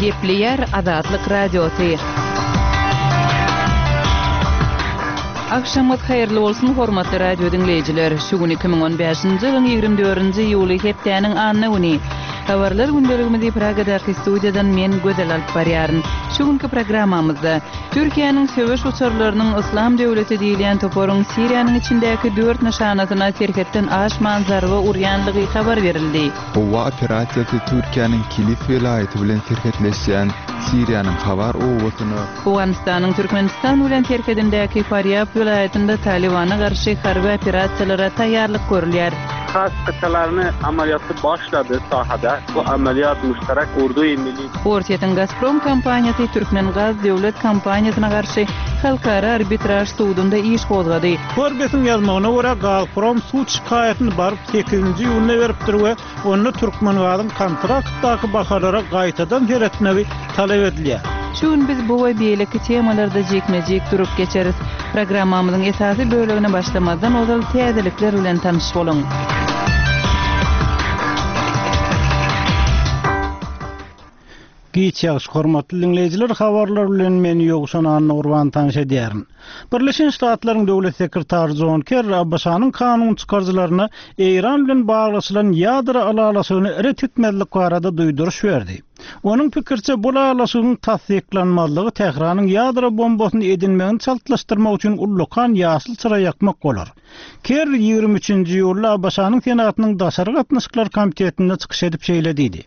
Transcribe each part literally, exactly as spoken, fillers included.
Gepleýär Azatlyk Radiosy. Agşamyňyz haýyrly bolsun, hormatly radio diňleýjiler! Şu gün iki müň on bäşinji ýylyň ýigrimi dördünji iýuly, hepdäniň anna güni. Habarlar gündeligimizi Pragadaky studiýadan men, Gözel alyp barýaryn. Şu günki programmamyzda, Türkiýäniň söweş uçarlarynyň Yslam döwleti diýilýän toparyň Siriýanyň içindäki dört nyşanasyna serhetden aşman zarba urýanlygy habar berildi. Howa operasiýasy Türkiýäniň Kilis welaýaty bilen serhetleşýän Siriýanyň Hawar obasyna, Owganystanyň Türkmenistan bilen serhedindäki Farýab welaýatynda Talybana garşy harby operasiýalara taýýarlyk görülýär. Has kytalaryny amalýaty başlady sahada. Bu amalýat muştarak urdu-i milli. Orsýetiň Gazprom kompaniýasy Türkmengaz döwlet kompaniýasyna garşy Halkara arbitraž sudunda iş gozgady. Forbesiň ýazmagyna görä, Gazprom sud şikaýatyny baryp sekizinji iýunda beripdir we onda Türkmengazyň kontraktdaky bahalara gaýtadan seretmegi talap edilýär. Şu gün biz bu we beýleki temalarda jikme-jik durup geçeris. Programmamyzyň esasy bölegine başlamazdan ozal täzelikler bilen tanyş boluň. Giç ýagşy hormatly diňleýjiler, habarlar bilen men Ýowşan Annagurban tanyş edýärin. Birleşen Ştatlaryň Döwlet sekretary Jon Kerri ABŞ-nyň kanun çykaryjylaryna Eýran bilen baglaşylan ýadro ylalaşygyny ret etmezlik barada duýduryş berdi. Onuň pikiriçe, bu ylalaşygyň tassyklanmazlygy Tähranyň ýadro bombasyny edinmegini çaltlaşdyrmak üçin ullakan ýaşyl çyra ýakmak bolar. Kerri ýigrimi üçünji iýulda ABŞ-nyň Senatynyň Daşary gatnaşyklar komitetinde çykyş edip şeýle diýdi.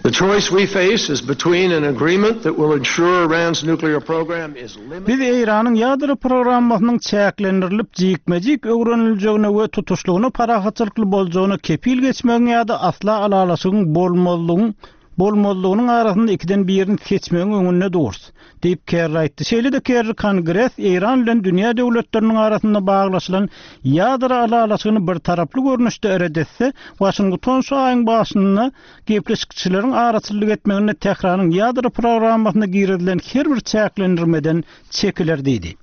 The choice we face is between an agreement that will ensure Iran's nuclear program is limited. Biz Eýranyň ýadro programmasynyň çäklendirilip, jikme-jik öwreniljegine we tutuşlygyna parahatçylykly boljagyna kepil geçmegiň ýa-da asla ylalaşygyň bolmazlygyň bolmazlygynyň arasynda ikiden birini seçmegiň öňünde durus, diýip Kerri aýtdy. Şeýle-de Kerri Kongres Eýran bilen dünýä döwletleriniň arasynda baglaşylan ýadro ylalaşygyny birtaraply görnüşde ret etse, Waşington şu aýyň başynda gepleşikçileriň araçyllyk etmeginde Tähranyň ýadro programmasyna girizilen her bir çäklendirmeden çekiler diýdi.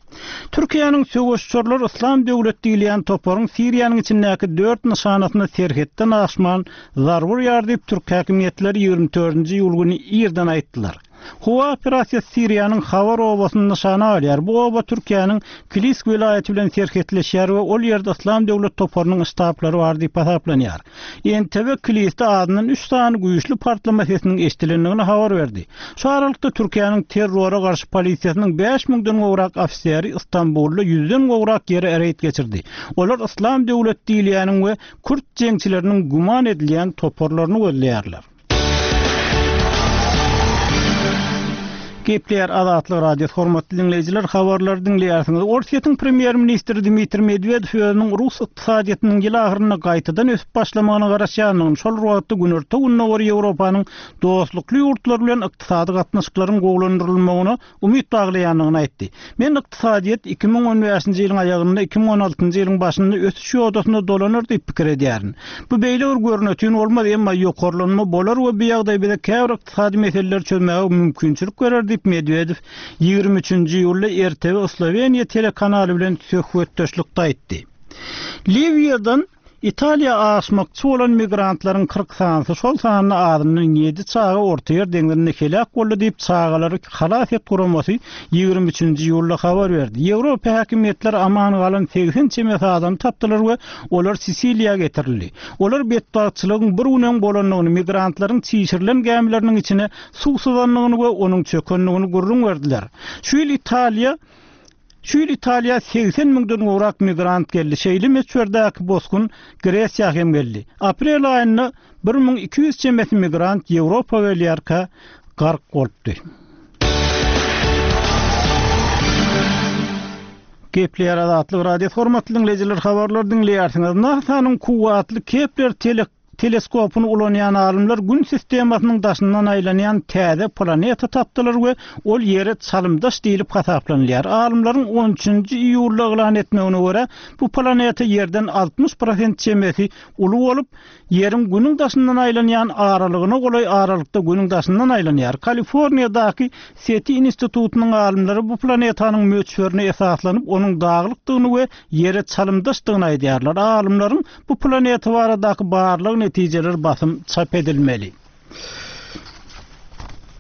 Türkiýäniň söweş uçarlary Yslam döwlet diýilýän toparyň Siriýanyň içindäki dört nyşanasyna serhetden aşman zarba urýar diýip türk häkimiýetleri ýigrimi dördünji iýul güni irden aýtdylar. Howa operasiýasy Siriýanyň Hawar obasyny nyşana alýar. Bu oba Türkiýäniň Kilis welaýaty bilen serhetleşýär we ol ýerde Yslam döwlet toparynyň ştablary bar diýip hasaplanýar. N T V Kilisde azyndan üç sany güýçli partlama sesiniň eşidilendigini habar berdi. Şu aralykda Türkiýäniň terrora garşy polisiýasynyň bäş müňden gowrak ofiseri Istanbulda ýüzden gowrak ýere reýd geçirdi. Olar Yslam döwlet diýilýäniň we kürt jeňçileriniň güman edilýän toparlaryny gözleýärler. Gepleýär Azatlyk Radiosy, hormatly diňleýjiler, habarlary diňleýärsiňiz. Orsýetiň premýer-ministri Dmitriý Medwedew özüniň rus ykdysadyýetiniň ýyl ahyrynda gaýtadan ösüp başlamagyna garaşýandygyny, şol bir wagtda Günorta-Gündogar Ýewropanyň dostlukly ýurtlary bilen ykdysady gatnaşyklaryň gowulandyrylmagyna umyt baglaýandygyny aýtdy. Men ykdysadyýet iki müň on bäşinji ýylyň aýagynda, iki müň on altynjy ýylyň başynda ösüş ýodasyna dolanar diýip pikir edýärin. Bu beýle bir görnetin bolmaz, emma ýokarlanma bolar we bu ýagdaý bize käbir ykdysady meseleleri çözmäge mümkinçilik berer diýip Medwedew ýigrimi üçünji iýulda R T V Sloweniýa telekanaly bilen söhbetdeşlikde aýtdy. Liwiýadan Italiýa aşmakçy bolan migrantlaryň kyrk sanysy, şol sanda azyndan ýedi çaga Ortaýer deňzinde heläk boldy diýip çagalary halas et guramasy ýigrimi üçünji iýulda habar berdi. Ýewropa häkimiýetleri aman galan segsen çemesi adamy tapdylar we olar Sisiliýa getirildi. Olar betbagtçylygyň bir gün öň bolandygyny, migrantlaryň çişirilen gämileriniň içine suw syzandygyny we onuň çökendigini gürrüň berdiler. Şu ýyl Italiýa Şu ýyl Italiýa segsen müňden gowrak migrant geldi. Şeýle möçberdäki bosgun Gresiýa hem geldi. Aprel aýynda bir müň iki ýüz çemesi migrant Ýewropa gelýärkä gark bolupdy. Gepleýär Azatlyk Radiosy, hormatly diňleýjiler, habarlar diňleýärsiňiz. NASA-nyň kuwwatly Kepler tele-, teleskopyny ulanýan alymlar Gün sistemasynyň daşyndan aýlanýan täze planeta tapdylar we ol ýere çalymdaş diýlip hasaplanylýar. Alymlaryň on üçünji iýulda yglan etmegine görä, bu planeta ýerden altmyş prosent çemesi uly bolup, ýeriň Günüň daşyndan aýlanýan aralygyna golaý aralykda Günüň daşyndan aýlanýar. Kaliforniýadaky SETI institutynyň alymlary bu planetanyň möçberine esaslanyp, onuň daglykdygyny we ýere çalymdaşdygyny aýdýarlar. Alymlaryň bu planeta baradaky barlag netijeleri basym çap edilmeli.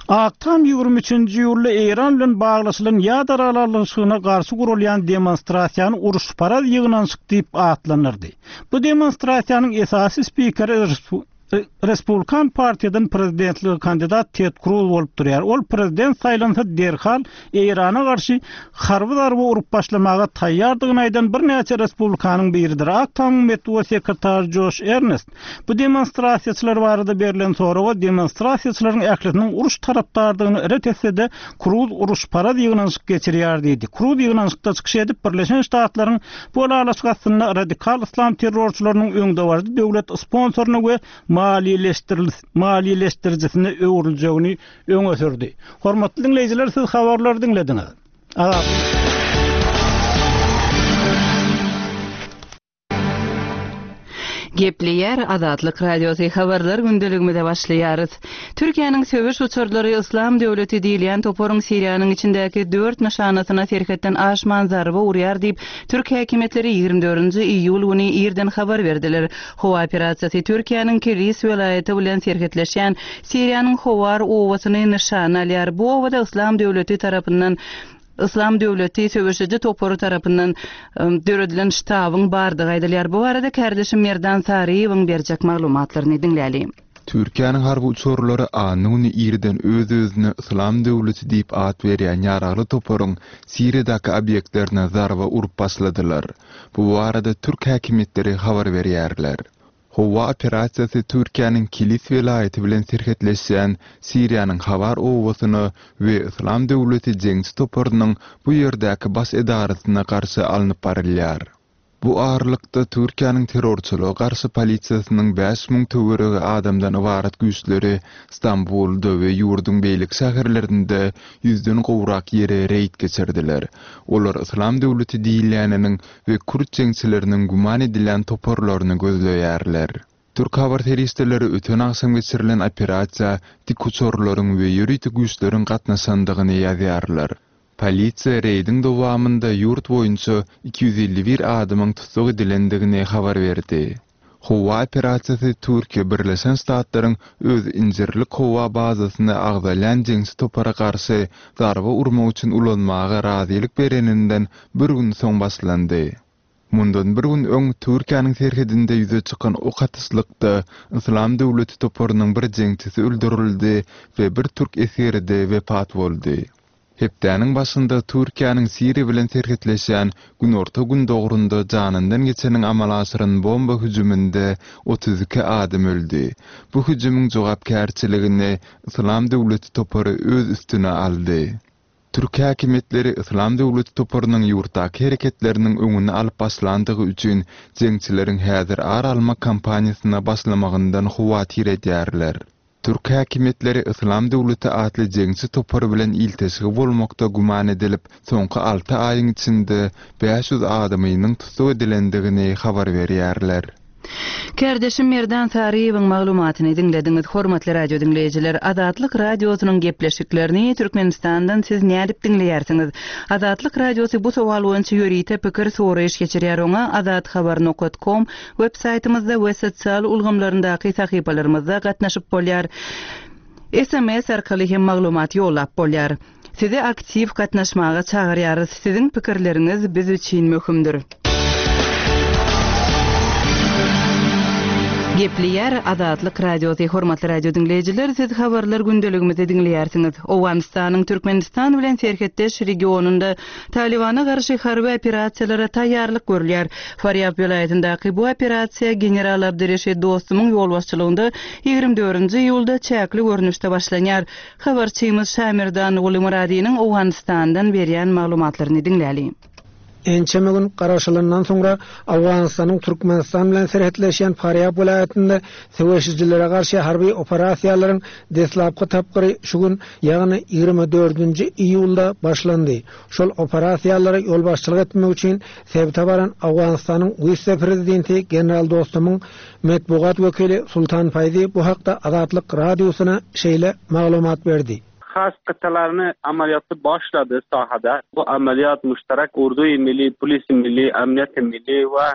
Ak Tam ýigrimi üçünji iýulda Eýran bilen baglaşylan ýadro ylalaşygyna garşy gurulýan demonstrasiýany uruşparaz ýygnanyşyk diýip atlandyrdy. Bu demonstrasiýanyň esasy spikeri Respublikan partiýadan prezidentlige kandidat Ted Cruz bolup durýar. Ol prezident saýlansa derhal Eýrana garşy harby zarba urup başlamaga taýýardygyny aýdan birnäçe respublikanyň biridir. Ak Tamyň metbugat sekretary Joş Ernest bu demonstrasiýaçylar barada berlen soraga demonstrasiýaçylaryň ählisiniň uruş tarapdardygyny ret etse-de Cruz uruşparaz ýygnanyşyk geçirýär diýdi. Cruz ýygnanyşykda çykyş edip Birleşen Ştatlaryň bu ylalaşyk astynda radikal islam terrorçylarynyň öňdebaryjy döwlet sponsoryny we maliýeleşdiricisine öwrüljegini öňe sürdi. Hormatly diňleýjiler, siz habarlary diňlediňiz. Gepleýär Azatlyk Radiosy habarlar gündeligimize başlaýarys. Türkiýäniň söweş uçarlary Islam döwleti diýilýän toparyň Siriýanyň içindäki dört nyşanasyna serhetden aşman zarba urýar diýip, Türk häkimiýetleri ýigrimi dördünji iýul güni irden habar berdiler. Howa operasiýasy Türkiýäniň Kilis welaýaty bilen serhetleşýän Siriýanyň Howar obasyny nyşana alýar. Bu obada Islam döwleti tarapyndan Islam döwleti söweşiji topary tarapyndan döredilen ştabyň bardygy aýdylýar. Bu barada kardeşim Merdan Saryýewiň berjek maglumatlaryny diňläli. Türkiýäniň harby uçarlary anna güni irden öz-özüne Islam döwleti diýip at berýän ýaragly toparyň Siriýadaky obýektlerine zarba urup başladylar. Bu barada türk häkimiýetleri habar berýärler. Howa operasiýasy Türkiýäniň Kilis welaýaty bilen serhetleşýän Siriýanyň Hawar obasyna we Islam döwleti jeňçi toparynyň bu ýerdäki baş edarasyna garşy alnyp barylýar. Bu aralykda Türkiýäniň terrorçylyga garşy polisiýasynyň bäş müň töweregi adamdan ybarat güýçleri Stambulda we ýurduň beýleki şäherlerinde ýüzden gowrak ýere reýd geçirdiler. Olar Islam döwleti diýilýäniniň we kürt jeňçileriniň güman edilýän toparlaryny gözleýärler. Türk habar serişdeleri öten agşam geçirilen operasiýa dik uçarlaryň we ýörite güýçleriň gatnaşandygyny ýazýarlar. Polisiýa reýdiň dowamynda ýurt boýunça iki ýüz elli bir adamyň tussag edilendigini habar berdi. Howa operasiýasy Türkiýe Birleşen Ştatlaryň öz Incirlik howa bazasyny agzalýan jeňçi topara garşy zarba urmak üçin ulanmaga razylyk bereninden bir gün soň başlandy. Mundan bir gün öň Türkiýäniň serhedinde ýüze çykan ok atyşlykda Islam döwleti toparynyň bir jeňçisi öldürildi we bir türk esgeri-de wepat boldy. Hepdäniň başynda Türkiýäniň Siriýa bilen serhetleşýän Günorta Gündogrunda janyndan geçeniň amala aşyran bomba hüjüminde otuz iki adam öldi. Bu hüjümiň jogapkärçiligini Islam döwleti topary öz üstüne aldy. Türk häkimiýetleri Islam döwleti toparynyň ýurtdaky hereketleriniň öňüni alyp başlandygy üçin jeňçileriň häzir ar almak kampaniýasyna başlamagyndan howatyr edýärler. Türk häkimiýetleri Islam döwleti atly jeňçi topary bilen ilteşigi bolmakda güman edilip, soňky alty aýyň içinde bäş ýüz adamynyň tussag edilendigini habar berýärler. Kardeşim Merdan Saryýewiň maglumatyny diňlediňiz. Hormatly radio diňleýjiler, Azatlyk radiosynyň gepleşiklerini Türkmenistandan siz nädip diňleýärsiňiz? Azatlyk radiosy bu sowal boýunça ýörite pikir soraýyş geçirýär. Oňa azathabar nokta com web saýtymyzda we sosial ulgamlaryndaky sahypalarymyzda gatnaşyp bolýar. S M S arkaly hem maglumat ýollap bolýar. Sizi aktiw gatnaşmaga çagyrýarys. Siziň pikirleriňiz biz üçin möhümdir. Gepleýär Azatlyk radiosy. Hormatly radio diňleýjiler, siz habarlar gündeligimizi diňleýärsiňiz. Owganystanyň Türkmenistan bilen serhetdeş regionynda Talibana garşy harby operasiýalara taýýarlyk görülýär. Farýab welaýatyndaky bu operasiýa General Abdyreşid Dostumyň ýolbaşçylygynda ýigrimi dördünji iýulda çäkli görnüşde başlanýar. Habarçymyz Şamirdan Gulymuradynyň Owganystandan berýän maglumatlaryny diňläli. Ençeme gün garaşylandan soňra Owganystanyň Türkmenistan bilen serhetleşýän Farýab welaýatynda söweşijilere garşy harby operasiýalaryň deslapky tapgyry şu gün, ýagny ýigrimi dördünji iýulda başlandy. Şol operasiýalara ýolbaşçylyk etmek üçin sebite baran Owganystanyň wise-prezidenti General Dostumyň metbugat wekili Sultan Faýzi bu hakda Azatlyk radiosyna şeýle maglumat berdi. Has kıtalarını ameliyatı başladı sahada. Bu ameliyat müşterek ordu milli, polis milli, emniyet milli ve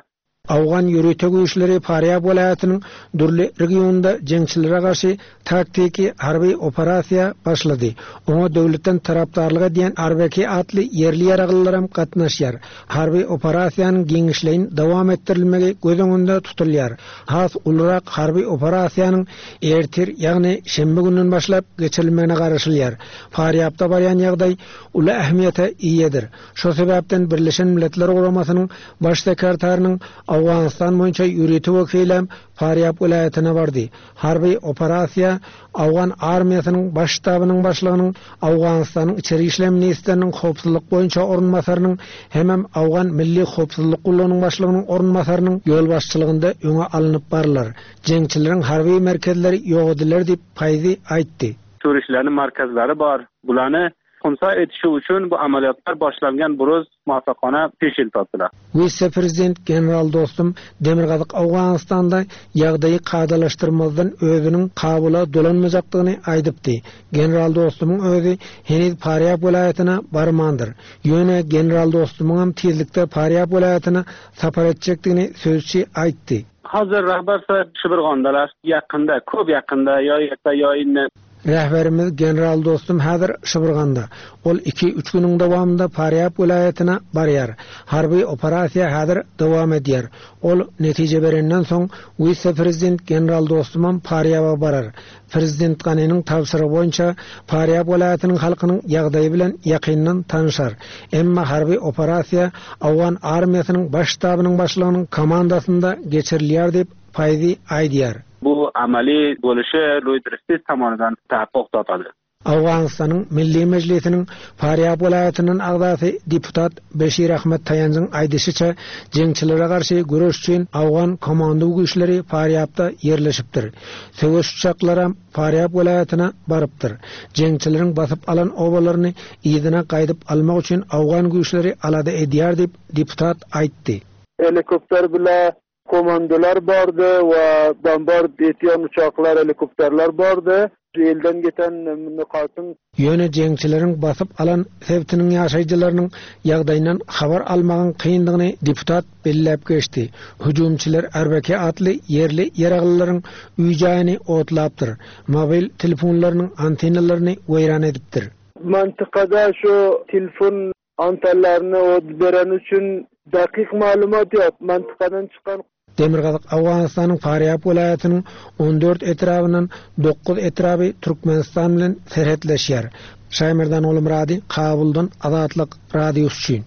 Awgan ýörite güýçleri Farýab welaýatynyň dürli regionda jeňçilere garşy taktiki harby operasiýa başlady. Oňa döwletden tarapdarlyk edýän Arbeki atly ýerli ýaraglylaram gatnaşýar. Harby operasiýanyň giňişleýin dowam etdirilmegi göz öňünde tutulýar. Has ulurak harby operasiýanyň ertir, ýagny şenbe gününden başlap geçirilmegine garaşylýar. Farýabda barýan ýagdaý uly ähmiýete eýedir. Şo sebäpden Birleşen Milletler Guramasynyň baş sekretarynyň Awganystan boýunça ýörite wekili Farýab welaýatyna bardy. Harby operasiýa Awgan armiýasynyň baş ştabynyň başlygynyň, Awganystanyň içeri işler ministriniň howpsuzlyk boýunça orunbasarynyň hemem Awgan Milli Howpsuzlyk Gullugynyň başlygynyň orunbasarynyň ýolbaşçylygynda öňe alnyp barylar. Jeňçileriň harby merkezleri ýok ediler diýip Paýzy aýtdy. Turistlerin merkezleri bar. Bularny xunsa etişi üçin bu amaliyotlar başlangan buruz muvaffaqona peşil topdilar. Wise-prezident General Dostum Demirgazyk Awganystanda ýagdaýy kadalaşdyrmazdan özüniň Kabula dolanmajakdygyny aýdypdy. General Dostumyň özi heniz Farýab welaýatyna barmandyr. Ýöne General Dostumyň hem tizlikde Farýab welaýatyna sapar etjekdigini sözçi aýtdy. Hazır rahbar Şibirgondalar ýakynda, köp ýakynda, ýa ýa ýa indi. Rehberimiz General Dostum häzir Şibirganda. Ol iki üç günüň dowamynda Farýab welaýatyna barýar. Harby operasiýa häzir dowam edýär. Ol netije berenden soň wise-prezident General Dostumam Farýaba barar. Prezident Ganiniň tabşyrygy boýunça Farýab welaýatynyň halkynyň ýagdaýy bilen ýakyndan tanyşar. Emma harby operasiýa Awgan armiýasynyň baş ştabynyň başlygynyň komandasynda geçirilýär diýip Paýzy aýdýar. Bu amali bo'lişi Reuters tomonidan taqiq topadi. Awganystanyň Milli Mejlisiniň Farýab welaýatynyň agzasy deputat Beşir Ahmet Taýanjyň aýdyşyça jeňçilere garşy göreş üçin Awgan komando güýçleri Farýabda ýerleşipdir. Söweş uçaklary Farýab welaýatyna barypdyr. Jeňçileriň basyp alan obalaryny yzyna gaýdyp almak üçin Awgan güýçleri alada edýär diýip deputat aýtdy. Helikopter bile komandolar bardy we bombard etýän uçaklar, helikopterler bardy. Elden geten nokatyn Ýöne jeňçileriň basyp alan sebitiniň ýaşaýjylarynyň ýagdaýyndan habar almagyň kyndygyny deputat belläp geçdi. Hüjümçiler Arbeke atly ýerli ýaraglylaryň öý-jaýyny otlapdyr. Mobil telefonlarynyň antenalaryny weýran edipdir. Mantykada şu telefon antenlaryny ot beren üçin dakyk maglumat ýok. Mantykadan çykan Demirgazyk Awganystanyň Farýab welaýatynyň on dört etrabyndan dokuz etraby Türkmenistan bilen serhetleşýär. Şaýmerdan Oglumyrady, Kabuldan Azatlyk Radiosy üçin.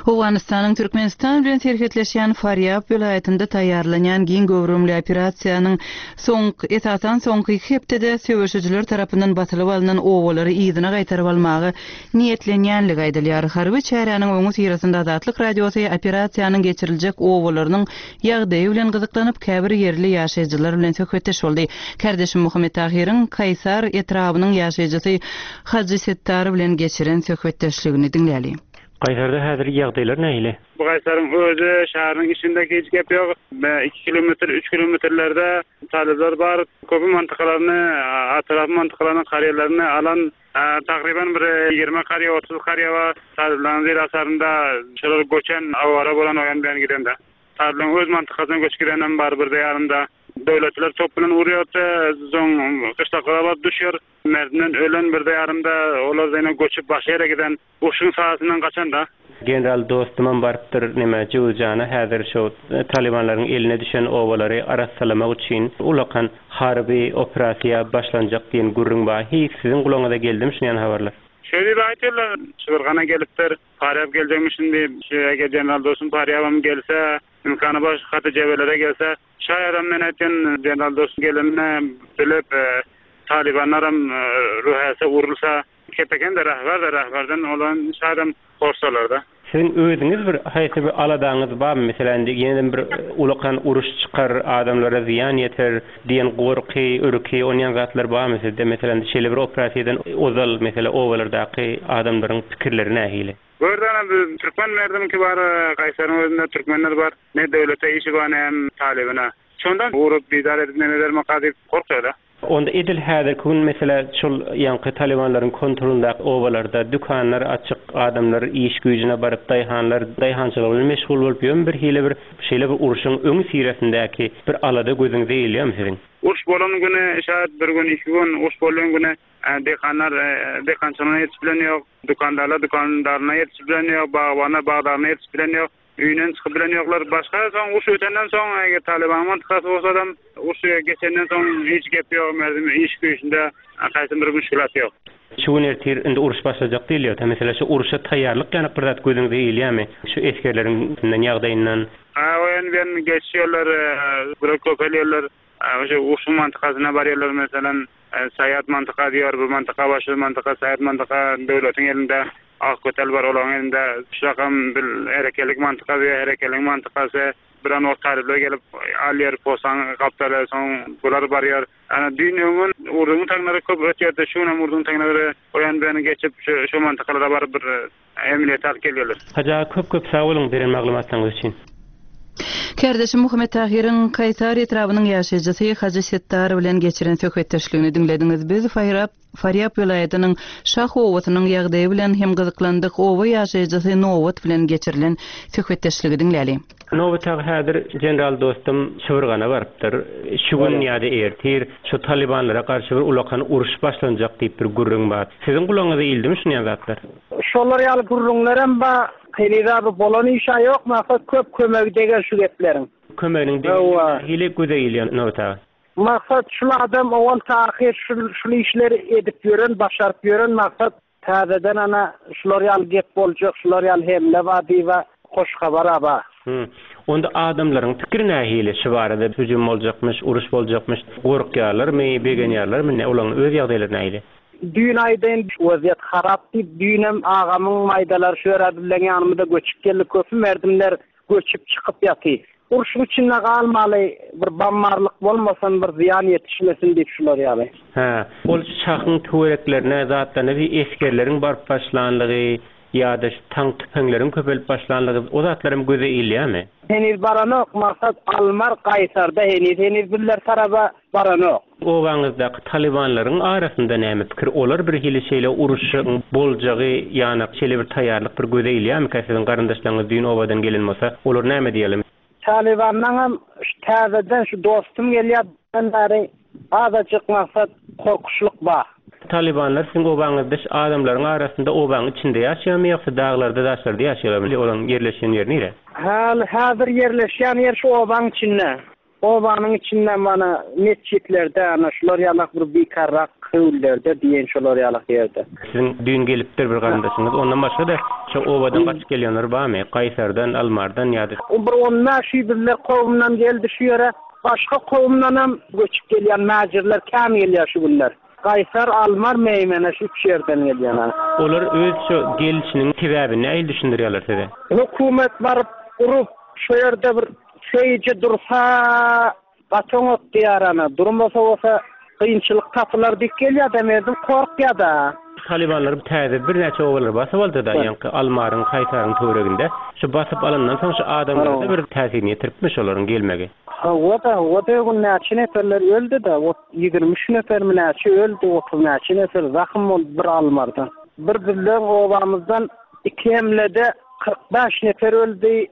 Owganystanyň Türkmenistan bilen serhetleşýän Farýab welaýatynda taýýarlanýan giň göwrümli operasiýanyň soňky, esasan soňky iki hepdede söweşijiler tarapyndan basylyp alnan obalary yzyna gaýtaryp almaga niýetlenýänligi aýdylýar. Harby çäräniň öňi syrasynda Azatlyk Radiosy operasiýanyň geçiriljek obalarynyň ýagdaýy bilen gyzyklanyp käbir ýerli ýaşaýjylar bilen söhbetdeş boldy. Kardeşim Muhammet Tahyryň Kaýsar etrabynyň ýaşaýjysy Hajy Settar bilen geçiren söhbetdeşligini diňläli. Kaýsarda häzir ýagdaýlar nähili? Bu Kaýsaryň özi şäheriň içinde hiç gep ýok. Iki kilometr, üç kilometrlerde talyplar bar. Köpü mantykalaryny, atraf mantykalaryny, karýerlerini alan, takriben bir ýigrimi karýer, otuz karýer bar. Talyplaryň zirasarynda şolar göçen, awara bolan oýan bilen gidende. Talyplaryň öz mantykasyna göçüp gidenem bar bir ýarynda. Döwletler top bilen urýardy, soň gyşlaklara baryp düşýär. Merdinden ölen bir ýarynda olar ýene göçüp başga ýere giden. Urşuň sahasyndan gaçanda. General dostumam barypdyr neme Jowzjana häzir şu Talibanlaryň eline düşen obalary arassalamak üçin ulakan harby operasiýa başlanjak diýen gürrüň bar. Hiç siziň gulagyňyza geldim şuny habarlar. Şeýle bir aýtdylar, Şibirgana gelipdir, Farýab geljekmişin diýip, şu eger general dostum Farýabam gelse, imkany baş haty jebelere gelse, şaýadam men aýtgan general dostum gelenine bilip, e, Talibanlaram, e, ruhäse urulsa, kepeken de rahbar da rahbardan olan şaýadam korsalar da. Siziň özüňiz bir haýsy bir aladaňyz barmy? Meselem, indi ýene bir ulakan uruş çykar, adamlara zyýan ýeter diýen gorky, ürki, onýan zatlar barmy sizde? Meselem, şeýle bir operasiýadan ozal, meselem, obalardaky adamlaryň pikirleri nähili? Gördüňizmi, biz türkmen merdimki bar, Kaýsaryň özünde türkmenler bar. Ne döwlete işi bar, ne hem talybyna. Şondan urup, bizar edip, nemeler maka diýip korkýarlar. Onda edil häzirki gün mesela şol ýaňky Talibanlaryň kontrolyndaky obalarda dükanlar açyk, adamlar iş güýjüne baryp, daýhanlar daýhançylyk bilen meşgul bolup, ýöne bir hile bir şeýle bir urşuň öň siresindäki bir alada gözüňize ilýärmi siziň? Uruş bolan güni şaýat bir gün, iki gün uruş bolan güni dekanlar dekançylygyna ýetişip bilen ýok, dükandarlar dükandaryna ýetişip bilen ýok, bagbanlar bagdaryna ýetişip bilen ýok, öýünden çykyp bilen ýoklar. Başga soň uruş ötenden soň eger Taliban mantikasy bolsa adam uruş geçenden soň hiç gep ýok, merdim iş güýjünde haýsy bir müşkilat ýok. Şu gün ertir indi uruş başlajak diýilýär. Mesela şu uruşa taýýarlyk ýanyk bir zat gözüňize ilýärmi? Şu esgerleriň ýagdaýyndan. Ha, o ýan ben geçýärler, bir köpelýärler. Şu urşuň mantikasyna barýarlar mesela Saýat mantika diýär, bu mantika başy mantika, Saýat mantika döwletiň elinde, ak kötel bar olaryň elinde. Şakam bir herekelik mantika diýär, herekeliň mantikasy. Bir an wagt talyplar gelip alýar, posan gapdalar, soň bular barýar. Ana düýn öňün urduň taňlary köp ötýärdi, şu gün urduň taňlary o ýan bu ýana geçip şu şu mantikalara baryp bir emniyet alyp gelýärler. Hajy köp köp sag boluň beren maglumatlaryňyz üçin. Kardeşim Muhammet Tahiriň Kaýsar etrabynyň ýaşaýjysy Hajy Settar bilen geçiren söhbetdeşligini diňlediňiz. Biz Faýrap Farýap welaýatynyň Şah obasynyň ýagdaýy bilen hem gyzyklandyk. Oba ýaşaýjysy Nowat bilen geçirilen söhbetdeşligi diňläli. Nowat aga häzir general dostum Çywyrgana barypdyr. Şu gün ýa-da ertir şu Talibanlara garşy bir ulakan uruş başlanjak diýip bir gürrüň bar. Siziň gulagyňyza ildimi şunýan zatlar? Şolar ýaly gürrüňlerem bar. Heniz bolan işe ýok, maksat köp kömegi degen şu gepleriň. Kömeginiň degen hile göze ilýän Nowat aga. Maksat şul adam owal tahyr şul, şul işleri edip ýören, başaryp ýören maksat täzeden ana şular ýaly gep boljak, şular ýaly hemle bar diýip hoş habar aba. Hı. Onda adamlaryň pikiri nähili şu barada hüjüm boljakmyş, uruş boljakmyş, gorkýarlarmy, begenýärlermi, ne olaryň öz ýagdaýlary nähili? Düýn aýdyn waziyet harap diýip, düýnem agamyň maýdalar şu ýere bilen ýanymyza göçüp geldi, köpüm merdimler göçüp çykyp ýaty. Urşuň içinde galmaly bir bammarlyk bolmasyn, bir zyýan ýetişmesin diýip şular ýaly. Ha, ol şahyň töwereklerine zatlaryna bir esgerleriň baryp başlanlygy ýa-da tank tüpeňleriň köpelip başlanlygy o zatlaryň göze ilýärmi? Heniz baranok, maksat Almar Gaýsarda heniz heniz biller taraba baranok. Obaňyzdaky Talibanlaryň arasynda näme pikir? Olar bir hili şeýle uruşyň boljagy ýanak şeýle bir taýýarlyk bir göze ilýärmi? Siziň garyndaşlaryňyz düýn obadan gelen bolsa, olar näme diýelim? Talibandan şu täzeden şu dostum gelýär, bäri azajyk maksat korkuşlyk bar. Talibanlar siziň obaňyzda adamlaryň arasynda obaň içinde ýaşaýarmy ýogsa daglarda, daşlarda ýaşaýarmy? Olaryň ýerleşen ýeri nire? Hal häzir ýerleşen ýer şu obaň içinde. Obanyň içinde mana metjitlerde, ana şular ýalak bir bikarrak köwlerde diýen şular ýalak ýerde. Siziň düýn gelipdir bir garyndaşyňyz. Ondan başga da şu obadan gaçyp gelýänler barmy? Kaýsardan, Almardan ýa-da O bir on bäş bizler kowumdan geldi şu ýere. Başga kowumdan hem göçüp gelýän mäjirler käm gelýär şu günler. Kaysar, Almar, Meymene şu üç yerden gelýän. Olar öz şu gelişiniň sebäbini nähili düşündirýärler size? Hökümet baryp urup şu ýerde bir şeyce dursa gaçoňok diýär ana. Durmasa bolsa kynçylyk tapylar dik gelýär da merdim korkýar da. Talibanlar täze bir näçe obalar basyp aldy da, ýaňky Almaryň, Kaýsaryň töwereginde. Şu basyp alandan soň şu adamlara bir täsirini ýetiripmiş olaryň gelmegi. Hawa da, o da gün näçe neferler öldi da, o ýigrimi üç nefer mi näçe öldi, otuz näçe nefer zahym boldy bir Almardan. Bir bizleň obamyzdan iki hemlede kyrk bäş nefer öldi,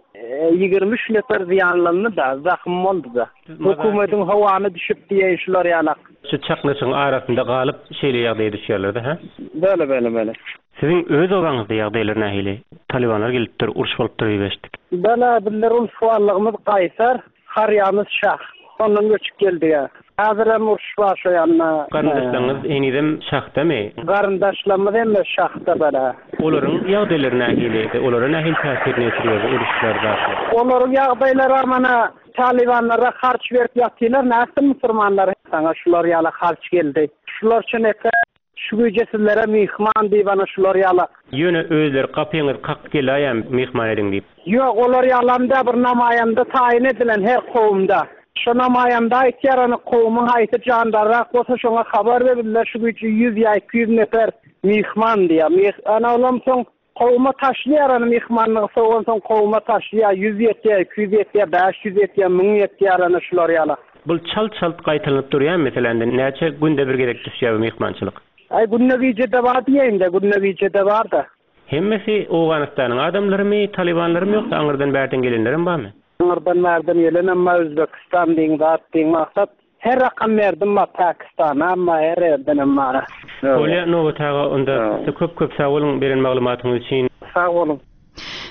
ýigrimi üç nefer zyýanlandy da, zahym boldy da. Hökümetiň howany düşüp diýen şular ýalak. Şu çaknyşyň arasynda galyp şeýle ýagdaýa düşýärler-de, ha? Bele, bele, bele. Siziň öz obaňyzda ýagdaýlar nähili? Talibanlar gelipdir, uruş bolupdyr diýip eşitdik. Bele, bizler ul suwallygymyz Kaýsar, Harýamyz Şah. Ondan göçüp geldi ya. Häzir hem uruş bar şu ýanna. Garyndaşlaryňyz henizem şahdamy? Garyndaşlarymyz hem şahda bele. Olaryň ýagdaýlary nähili? Olara nähili täsirini ýetirýär bu uruşlar zatlar? Olaryň ýagdaýlary mana Talibanlara harç berip ýatylar, näsin musulmanlar sana şular ýaly harç geldi. Şular üçin eke şu güýje sizlere myhman diýip ana şular ýaly. Ýöne özleri gapyňyzy kakyp gelaýam myhman ediň diýip. Ýok, olar ýalamda bir namaýanda taýyn edilen her kowumda. Şu namaýanda aýtýar ana kowumyň haýsy jandarrak bolsa şoňa habar berildi. Şu güýje ýüz ýa iki ýüz nefer myhman diýýär. Myh-, ana olam soň kowuma taşlaýar ana myhmanlygy sowan soň kowuma taşlaýar. Ýüz ýetýär, iki ýüz ýetýär, bäş ýüz ýetýär, müň ýetýär ana şular ýaly. Bul çalt-çalt gaýtalanyp durýan meselende näçe günde bir gezek düşýär bu myhmançylyk? Aý günde gije-de bar diýeýin-de, günde gije-de bar-da. Hemmesi Owganystanyň adamlarymy, Talibanlarymy ýoksa aňyrdan bärden gelenlerim barmy? Aňyrdan bärden gelenem bar, Özbekistan diýin, zat diýin, maksat her rakam berdim bar Pakistana, amma her ýerdenem bar. Bolýa, Nobat aga, onda köp-köp sag boluň beren maglumatyňyz üçin. Sag boluň.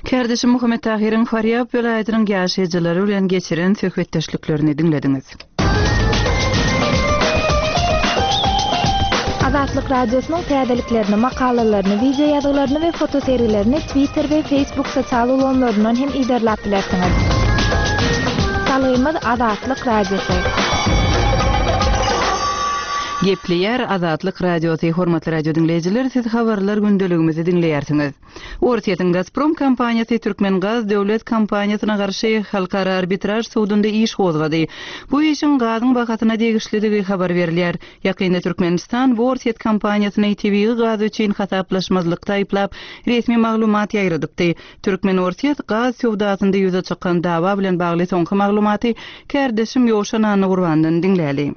Kärdeşim Muhammet Tahyryň Farýab welaýatynyň ýaşaýjylary bilen geçiren söhbetdeşliklerini diňlediňiz. Azatlyk Radiosynyň täzeliklerini, makalalaryny, wideo ýazgylaryny we fotosergilerini Twitter we Facebook sosial ulgamlaryndan hem yzarlap bilersiňiz. Salgymyz Azatlyk Radiosy. Gepleýär Azatlyk Radiosy, hormatly radio diňleýjiler, siz habarlar gündeligimizi diňleýärsiňiz. Orsýetiň Gazprom kompaniýasy Türkmengaz döwlet kompaniýasyna garşy halkara arbitraž sudunda iş gozgady. Bu işiň gazyň bahasyna degişlidigi habar berilýär. Ýakynda Türkmenistan bu Orsýet kompaniýasyny tebigy gaz üçin hasaplaşmazlykda aýyplap, resmi maglumat ýaýradypdy. Türkmen-Orsýet gaz söwdasynda ýüze çykan dawa bilen bagly soňky maglumaty kärdeşim Ýowşan Annagurbandan diňläli.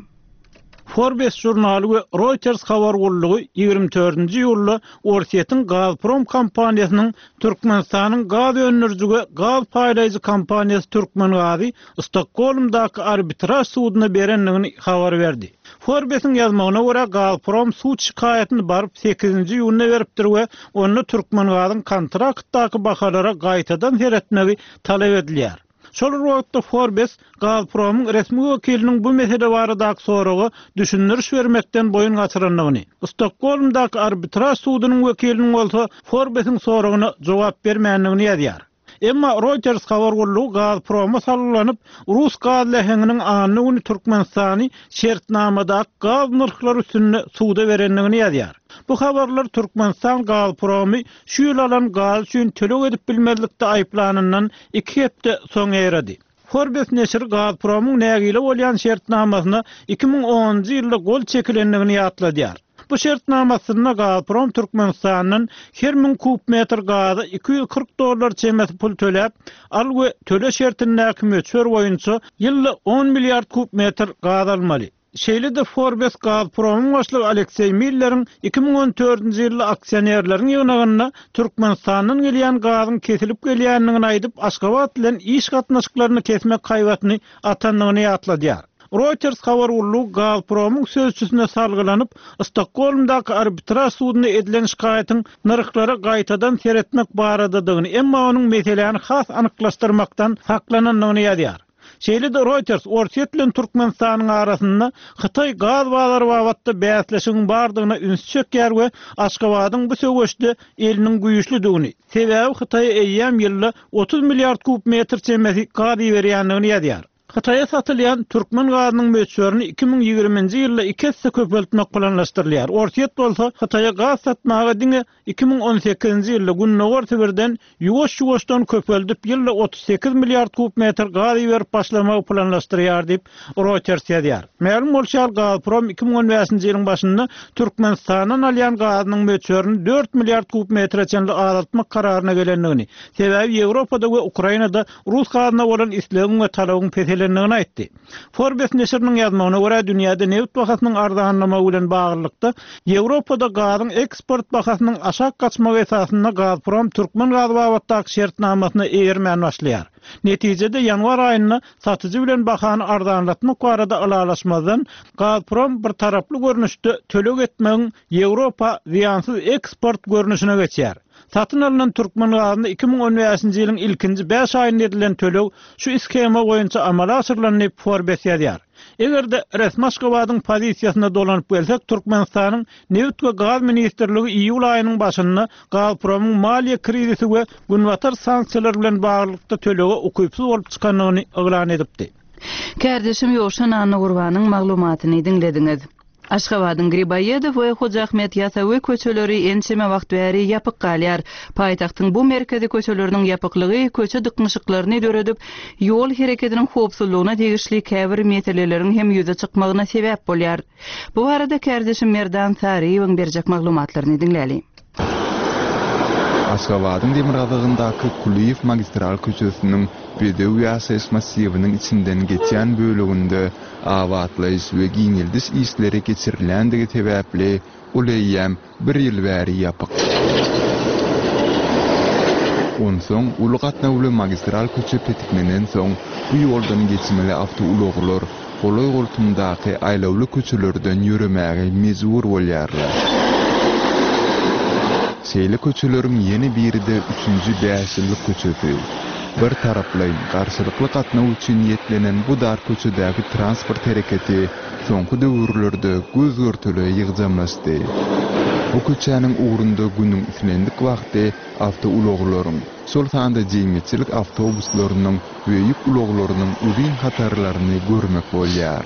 Forbes žurnaly we Reuters habar gullugy ýigrimi dördünji iýulda Orsýetiň Gazprom kompaniýasynyň Türkmenistanyň gaz öndüriji we gaz paýlaýjy kompaniýasy Türkmengazy Stokgolmdaky arbitraž suduna berendigini habar berdi. Forbesiň ýazmagyna görä Gazprom sud şikaýatyny baryp sekizinji iýunda beripdir we onda Türkmengazyň kontraktdaky bahalara gaýtadan seretmegi talap edilýär. Şol wagtda Forbes Gazpromyň resmi wekiliniň bu mesele baradaky soraga düşündiriş bermekden boýun gaçyrandygyny, Stokgolmdaky arbitraž sudunyň wekiliniň bolsa Forbesiň soragyna jogap bermändigini ýazýar. Emma Reuters habar gullugy Gazproma salgylanyp, Rus gaz läheňiniň anny güni Türkmenistany şertnamadaky gaz nyrhlary üstünde suda berendigini ýazýar. Bu habarlar Türkmenistan Gazpromy şu ýyl alan gaz üçin töleg edip bilmezlikde aýyplanyndan iki hepde soň ýaýrady. Forbes neşiri Gazpromyň nägile bolýan şertnamasyna iki müň onunjy ýylda gol çekilendigini ýatladýar. Bu şertnamasynda Gazprom Türkmenistandan her müň kub metr gaza iki ýüz kyrk dollar çemesi pul töläp, al we töle şertindäki möçber boýunça ýylda on milliard kub metr gaz almaly. Şeýle-de Forbes Gazpromyň başlygy Alekseý Milleriň iki müň on dördünji ýylda aksionerleriň ýygnagynda Türkmenistandan gelýän gazyň kesilip gelýändigini aýdyp, Aşgabat bilen iş gatnaşyklaryny kesmek haýbatyny atandygyny ýatladýar. Reuters habar gullugy Gazpromyň sözçüsine salgylanyp, Stokgolmdaky arbitraž suduna edilen şikaýatyň nyrhlara gaýtadan seretmek baradadygyny, emma onuň meseläni has anyklaşdyrmakdan saklanandygyny ýazýar. Şeýle-de Reuters Orsýet bilen Türkmenistanyň arasynda Hytaý gaz bazary babatda bäsleşigiň bardygyna üns çekýär we Aşgabadyň bu söweşde eliniň güýçlüdigini, sebäbi Hytaýa eýýäm ýylda otuz milliard kub metr çemesi gaz iberýändigini ýazýar. Hytaýa satylýan türkmen gazynyň möçberini iki müň ýigriminji ýylda iki esse köpeltmek planlaşdyrylýar. Orsýet bolsa Hytaýa gaz satmaga diňe iki müň on sekizinji ýylda Gündogar Sibirden ýuwaş-ýuwaşdan köpeldip ýylda otuz sekiz milliard kub metr gaz iberip başlamagy planlaşdyrýar diýip Reuters ýazýar. Mälim bolşy ýaly Gazprom iki müň on bäşinji ýylyň başynda Türkmenistandan alýan gazynyň möçberini dört milliard kub metre çenli azaltmak kararyna gelendigini, sebäbi Ýewropada we Ukrainada rus gazyna bolan islegiň we talabyň peselendigini aýtdy. Forbes neşiriniň ýazmagyna görä dünýäde nebit bahasynyň arzanlamagy bilen baglylykda Ýewropada gazyň eksport bahasynyň aşak gaçmagy esasynda Gazprom türkmen gaz babatdaky şertnamasyna eýermän başlaýar. Netijede ýanwar aýynda satyjy bilen bahany arzanlatmak barada ylalaşmazdan Gazprom bir taraply görnüşde töleg etmegiň Ýewropa zyýansyz eksport görnüşine geçýär. Satyn alynan türkmen gazyny iki müň on bäşinji ýylyň ilkinji bäş aýynda edilen töleg şu shema boýunça amala aşyrylan diýip Forbes ýazýar. Eger-de resmi Aşgabadyň pozisiýasyna dolanyp gelsek, Türkmenistanyň Nebit we gaz ministrligi iýul aýynyň başynda Gazpromyň maliýe krizisi we günbatar sanksiýalary bilen baglylykda tölege ukypsyz bolup çykandygyny yglan edipdi. Kärdeşim Ýowşan Annagurbanyň maglumatyny diňlediňiz. Aşgabadyň Griboýedow we Hoja Ahmet Ýasawy köçeleri ençeme wagt bäri ýapyk galýar. Paýtagtyň bu merkezi köçeleriniň ýapyklygy köçe dyknyşyklaryny döredip, ýol hereketiniň howpsuzlygyna degişli käbir meseleleriň hem ýüze çykmagyna sebäp bolýar. Bu barada kärdeşim Merdan Saryýewiň berjek maglumatlaryny diňläli. Aşgabadyň demirgazygyndaky Kulyýew magistral köçesiniň Bedew ýaşaýyş massiwiniň içinden geçýän böleginde abatlaýyş we giňeldiş işleri geçirilýändigi sebäpli ol eýýäm bir ýyl bäri ýapyk. Onsoň uly gatnawly magistral köçe petiklenensoň, bu ýoldan geçmeli awtoulaglar golaý-goltumdaky aýlawly köçelerden ýöremäge mejbur bolýarlar. Şeýle köçeleriň ýene biri-de Üçünji bäşýyllyk köçesi. Bir taraplaýyn, garşylykly gatnaw üçin niýetlenen bu dar köçedäki transport hereketi soňky döwürlerde göz-görtele ýygjamlaşdy. Bu köçäniň ugrunda günüň islendik wagty awtoulaglaryň, şol sanda jemgyýetçilik awtobuslarynyň we ýük ulaglarynyň uzyn hatarlaryny görmek bolýar.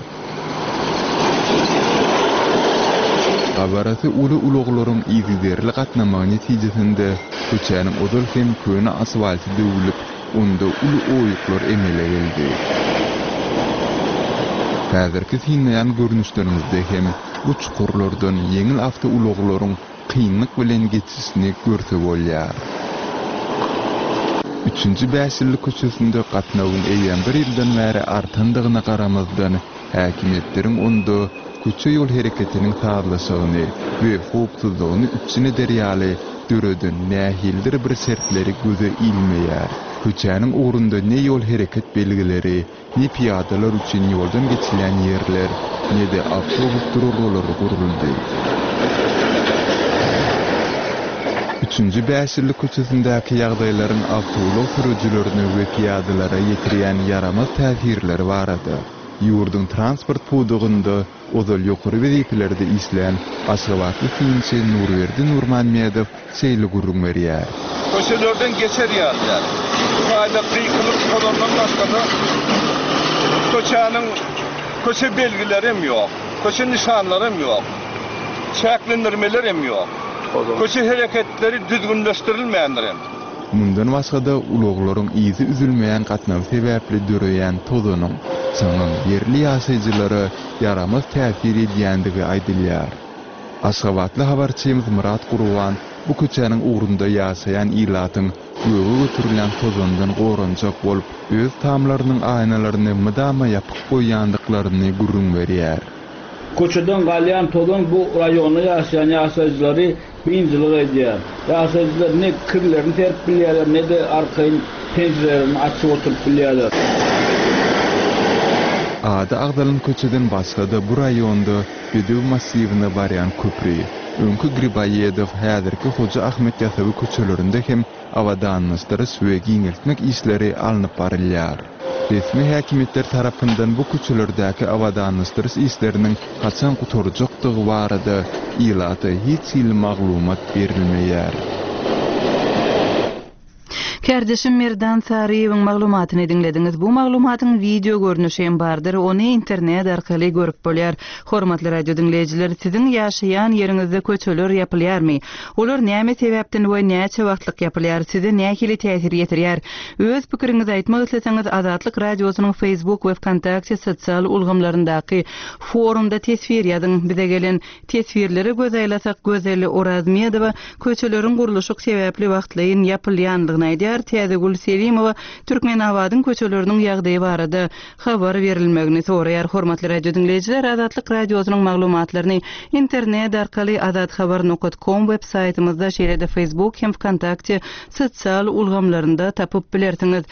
Gabarasy uly ulaglaryň yzygiderli gatnamagy netijesinde köçäniň ozal hem köne asfalty döwlüp, onda uly oýuklar emele geldi. Häzirki synlaýan görnüşleriňizde hem bu çukurlardan ýeňil awtoulaglaryň kynlyk bilen geçişini görse bolýar. Üçünji bäşýyllyk köçesinde gatnawyň eýýäm bir ýyldan bäri artandygyna garamazdan, häkimiýetleriň onda köçe-ýol hereketiniň sazlaşygyny we howpsuzlygyny üpjün eder ýaly döreden nähilidir bir şertleri göze ilmeýär. Köçäniň ugrunda ne ýol hereket belgileri, ne pyýadalar üçin ýoldan geçilýän ýerler, ne-de awtobus duralgalary guruldy. Üçünji bäşýyllyk köçesindäki ýagdaýlaryň awtoulag sürüjilerine we pyýadalara ýetirýän ýaramaz täsirleri barada ýurduň transport pudagynda ozal ýokary wezipelerde işlän aşgabatly synçy Nurberdi Nurmämmedow şeýle gürrüň berýär. Köçelerden geçer ýaly däl. Bu taýda gykylyk tozandan başga-da köçäniň köçe belgileri hem ýok, köçe nyşanlary hem ýok, çäklendirmeler hem ýok. Köçe hereketleri düzgünleşdirilmändir hem. Mundan başga-da ulaglaryň yzy üzülmeýän gatnawy sebäpli döreýän tozanyň, çaňyň ýerli ýaşaýjylara ýaramaz täsir edýändigi aýdylýar. Aşgabatly habarçymyz Myrat Gurban bu köçäniň ugrunda ýaşaýan ilatyň göge göterilýän tozandan goranjak bolup, öz tamlarynyň aýnalaryny mydama ýapyk goýýandyklaryny gürrüň berýär. Köçeden galýan tozan bu raýonda ýaşaýan ýaşaýjylary biynjalyk edýär. Ýaşaýjylar ne kirlerini serip bilýärler, ne-de arkaýyn penjirelerini açyp oturyp bilýärler. Ady agzalan köçeden başga-da bu raýonda Bedew massiwine barýan köpri, öňki Griboýedow, häzirki Hoja Ahmet Ýasawy köçelerinde hem abadanlaşdyryş we giňeltmek işleri alnyp barylýar. Resmi häkimiýetler tarapyndan bu köçelerdäki abadanlaşdyryş işleriniň haçan gutarjakdygy barada ilata hiç hili maglumat berilmeýär. Kärdeşim Merdan Saryýewiň maglumatyny diňlediňiz. Bu maglumatyň wideo görnüşi hem bardyr. Ony internet arkaly görüp bolýar. Hormatly radio diňleýjiler, siziň ýaşaýan ýeriňizde köçeler ýapylýarmy? Olar näme sebäpden we näçe wagtlyk ýapylýar? Size nähili täsir ýetirýär? Öz pikiriňizi aýtmak isleseňiz Azatlyk radiosynyň Facebook we VKontakte sosial ulgamlaryndaky forumda teswir ýazyň. Bize gelen teswirlere göz aýlasak, Gözel Orazmedowa köçeleriň gurluşyk sebäpli wagtlaýyn ýapylýanlygyny aýdýar. Täzegül Selimowa Türkmenabadyň köçeleriniň ýagdaýy barada habar berilmegini soraýar. Hormatly radio diňleýjiler, Azatlyk radiosynyň maglumatlaryny internet arkaly azathabar nokta com web saýtymyzda, şeýle-de Facebook hem VKontakte sosial ulgamlarynda tapyp bilersiňiz.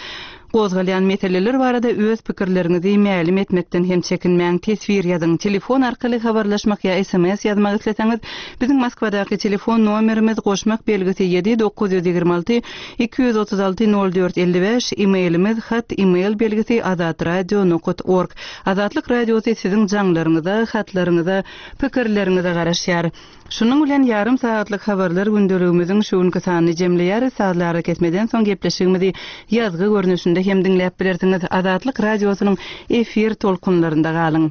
Gozgalýan meseleler barada öz pikirleriňizi mälim etmekden hem çekinmäň, teswir ýazyň. Telefon arkaly habarlaşmak ýa S M S ýazmak isleseňiz, biziň Moskwadaky telefon nomerimiz goşmak belgisi ýedi dokuz ýüz ýigrimi alty iki ýüz otuz alty nol dört elli bäş, e-mailimiz hat e-mail belgisi azatradio nokta org. Azatlyk radiosy siziň jaňlaryňyza, hatlaryňyza, pikirleriňize garaşýar. Şunuň bilen ýarym sagatlyk habarlar gündeligimiziň şu günki sanyny jemleýäris. Sazlara kesmeden soň gepleşigimizi ýazgy görnüşinde hem diňläp bilersiňiz. Azatlyk radiosynyň efir tolkunlarynda galyň.